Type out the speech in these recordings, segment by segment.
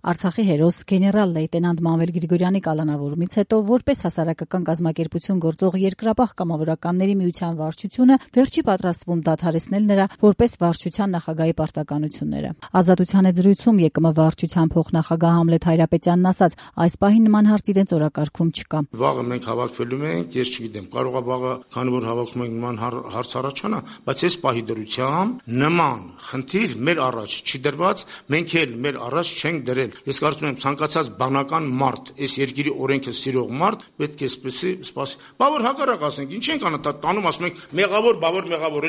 Արցախի հերոս գեներալ լեյտենանտ Մանվել Գրիգորյանի կալանավորումից հետո որպես հասարակական կազմակերպություն գործող Երկրապահ կամավորականների միության վարչությունը դեռ չի պատրաստվում դադարեցնել նրա որպես վարչության նախագահի պարտականությունները։ Ազատության զրույցում ԵԿՄ վարչության փոխնախագահ Համլետ Հայրապետյանն ասաց, այս պահին նման հարց իրենց օրակարգում չկա։ Վաղը մենք հավաքվելու ենք, ես չգիտեմ, կարող է վաղը, քանի որ հավաքվում ենք, նման հարց առաջանա, բայց այս պահի դրությամբ նման խնդիր մեր առաջ չի դրված, մենք էլ մեր առաջ չենք դրել։ Ես կարծում եմ ցանկացած բանական մարդ, այս երկրի օրենքը սիրող մարդ պետք է սպասի։ Բավոր հակառակ ասենք, ինչ ենք անում, տանում ասում ենք մեղավոր,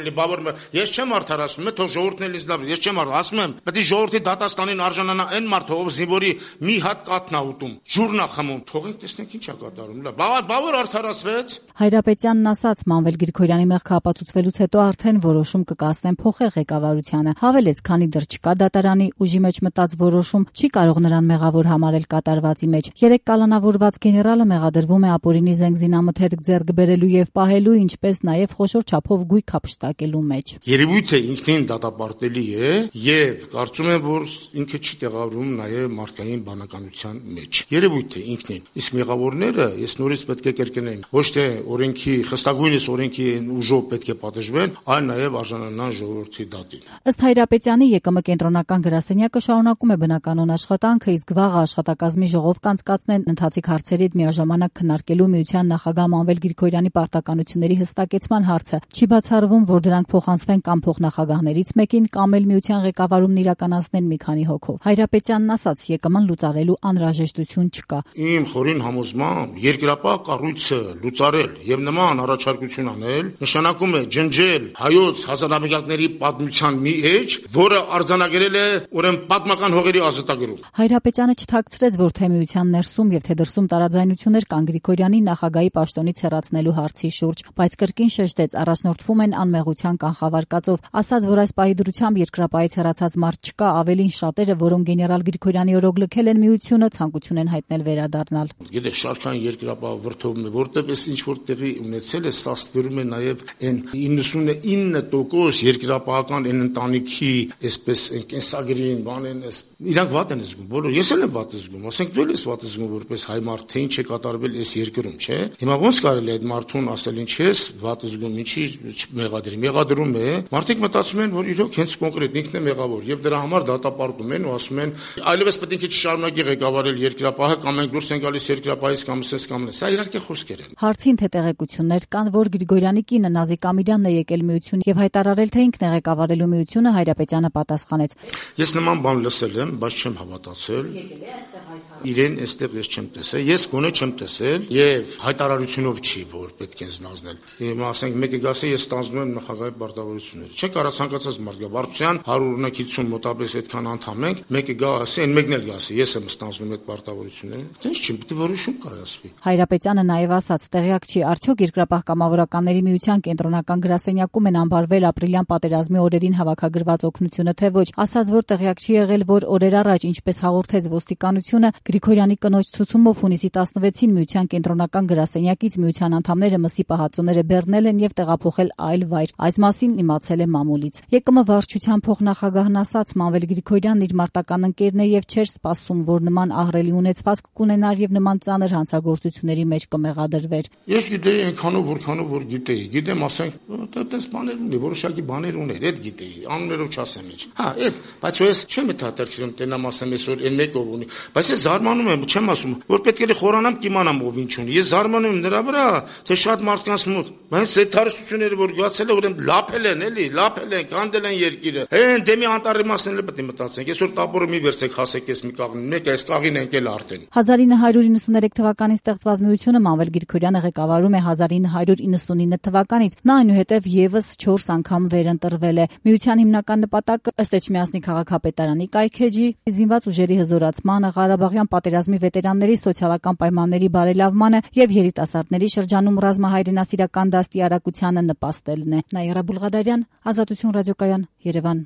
էլի բավոր։ Ես չեմ արդարացնում, թող ժողովուրդն էլ ինձ լավ, ես չեմ ասում եմ, պետք է ժողովրդի դատաստանին արժանանա այն մարդը, ով զինվորի մի հատ կաթն է ուտում, ջուրն է խմում։ Թողենք տեսնենք ինչ է կատարում։ Բավոր արդարացվեց։ Հայրապետյանն ասաց, Մանվել Գրիգորյանի մեղքը ապացուցվելուց հետո արդեն որոշում կկայացնեն փոխել ղեկավարությանը։ Հավելեց, քանի դեռ չկա դատարանի ուժի մեջ մտած որոշում, չի կարող նրան մեղավոր համարել կատարվածի մեջ։ Երեք կալանավորված գեներալը մեղադրվում է ապօրինի զենգզինամթերք ձեռք բերելու եւ պահելու, ինչպես նաեւ խոշոր չափով գույք հափշտակելու մեջ։ Երևույթը ինքնին դատապարտելի է եւ կարծում եմ, որ ինքը չի տեղավորվում նաեւ մարդկային բանականության մեջ։ Երևույթը ինքնին։ Իսկ մեղավորները ես նորից պետք է կրկնեմ, ոչ թե օրենքի, խստագույնս օրենքի ուժով պետք է պատժվեն, այլ նաեւ արժանանան ժողովրդի դատին։ Ըստ Հայրապետյանի ԵԿՄ կենտրոնական գրասենյակը շարունակում է բնականոն աշխատանքը, իսկ վաղ աշխատակազմի ժողով կանցկացնեն ընթացիկ հարցերի հետ միաժամանակ քննարկելու միության նախագահ Մանվել Գրիգորյանի պարտականությունների հստակեցման հարցը։ Չի բացառվում, որ դրանք փոխանցվեն կամ փոխնախագահներից մեկին, կամ էլ միության ղեկավարումն իրականացնեն մի քանի հոգով։ Հայրապետյանն ասաց, ԵԿՄ-ն լուծարելու անհրաժեշտություն չկա։ Իմ խորին համոզմամբ երկրապահ կառույցը լուծարել եւ նման առաջարկություն անել նշանակում է ջնջել հայոց հազարամյակների պատմության մի էջ, որը արձանագրել է ուրեմն պատմական հողերի ազատագրում։ Հայրապետյանը չթաքցրեց, որ թե միության ներսում եւ թե դրսում տարաձայնություններ կան Գրիգորյանի նախագահի պաշտոնից հեռացնելու հարցի շուրջ, բայց կրկին շեշտեց, առաջնորդվում են անմեղության կանխավարկածով, ասաց, որ այս պահի դրությամբ Երկրապահից հեռացած մարդ չկա, ավելին շատերը, որոնք գեներալ Գրիգորյանի օրոք լքել են միությունը, ցանկություն են հայտնել վերադառնալ։ Գիտեք, շարքային Երկրապահ վրթովն է, որտեղ էս ինչ որ տեղի ունեցել է, սա ստվերում է նաեւ այն 99% երկրապահական այն ընտանիքի, այսպես այն կենսագրին, բանեն, իրանք վատ են զգում, բոլոր, ես էլ եմ վատ զգում, ասենք դու ես վատ զգում որպես հայ մարդ, թե ինչ է կատարվել այս երկրում, չէ։ Հիմա ոնց կարելի է այդ մարդուն ասել ինչ ես վատ զգում, ինչի մեղադրում է, մարդիկ մտածում են, որ իրոք հենց կոնկրետ ինքն է մեղավոր եւ դրա համար դատապարտում են ու ասում են այլևս պետք է չշարունակի ղեկավարել Երկրապահը կամ մենք դուրս են գալիս Երկրապահից կամ սես կամ սա իհարկե խոսքեր են։ Հարցին թե տեղեկություններ կան, որ Գրիգորյանի կինը Նազիկ Ամիրյանն է եկել միություն եւ հայտարարել, թե ինքն է ղեկավարելու միությունը, Հայրապետյանը պատասխանեց. Ես նման բան լսել եմ, բայց չեմ հավատացել։ Եկել է այստեղ հայտարարել։ Իրեն այստեղ ես չեմ տեսել, ես գոնե չեմ տեսել եւ հայտարարությունով չի, որ պետք է զնազնել։ Հիմա ասենք մեկը գասի ես ստանձնում եմ նախագահի պարտավորությունները։ Չէ՞ կարա ցանկացած մարդ գա վարչության 100 օրինակիցում մոտավորապես այդքան անդամ ենք, մեկը գա ասի, այն մեկն էլ գասի, ես եմ ստանձնում այդ պարտավորությունները։ Ինչ չի, պետք է որոշում կայացվի։ Հայրապետյանը նաեւ ասաց, տեղյակ չի, արդյոք Երկրապահ կամավորականների միության կենտրոնական գրասենյակում են անբարվել ապրիլյան պատերազմի օրերին հավաքագրված օգնությունը, թե ոչ։ Ասաց, որ տեղյակ չի եղել, որ օրեր առաջ, ինչպես հաղորդեց ոստիկանությունը, Գրիգորյանի կնոջ ցուցումով հունիսի 16-ին միության կենտրոնական գրասենյակից միության անդամները մսի պահածոները բեռնել են եւ տեղափոխել այլ վայր։ Այս մասին իմացել է մամուլից։ ԵԿՄ վարչության փոխնախագահն ասաց, Մանվել Գրիգորյանն իր մարտական ընկերն է եւ չէր սպասում, որ նման ահռելի ունեցվածք կունենար եւ նման ծանր հանցագործությունների մեջ կմեղադրվեր։ Ես գիտեի այնքանով, որքանով որ գիտեի։ Գիտեմ, ասենք, այդպես բաներ ունի, որոշակի բաներ ուներ, այդ գիտեի, անուններով չասեմ ինչ։ Բայց ես չեմ հետաքրքրում տենամ ասեմ այսօր այն մեկով ունի, բայց ես զարմանում եմ, չեմ ասում, որ պետք է խորանամ կիմանամ ով ինչ ունի։ Ես զարմանում եմ նրա վրա, թե շատ մարդկանց մոտ, բայց այդ հարստությունները որ գացել է, ուրեմն լափել են, էլի, լափել են, կանդել են երկիրը։ Այն դեմի անտարի մասն էլ պետք է մտածենք։ Այսօր տապորը մի վերցեք, հասեք այս մի կաղին, մեկ այս կաղին ընկել արդեն։ 1993 թվականին ստեղծված միությունը Մանվել Գրիգորյանը ղեկավարում է 1999 թվականից։ Նա այնուհետև եւս 4 անգամ վերընտրվել է։ Միության հիմնական նպատակը ըստ Էջմիածնի քաղաքապետարանի կայքեջի, զինված ուժերի հզորացմանը, Ղարաբաղյան պատերազմի վետերանների սոցիալական պայմանների բարելավմանը եւ երիտասարդների շրջանում ռազմահայրենասիրական դաստիարակությանը նպաստելն է։ Նաիրա Բուլղադարյան, Ազատություն ռադիոկայան, Երևան։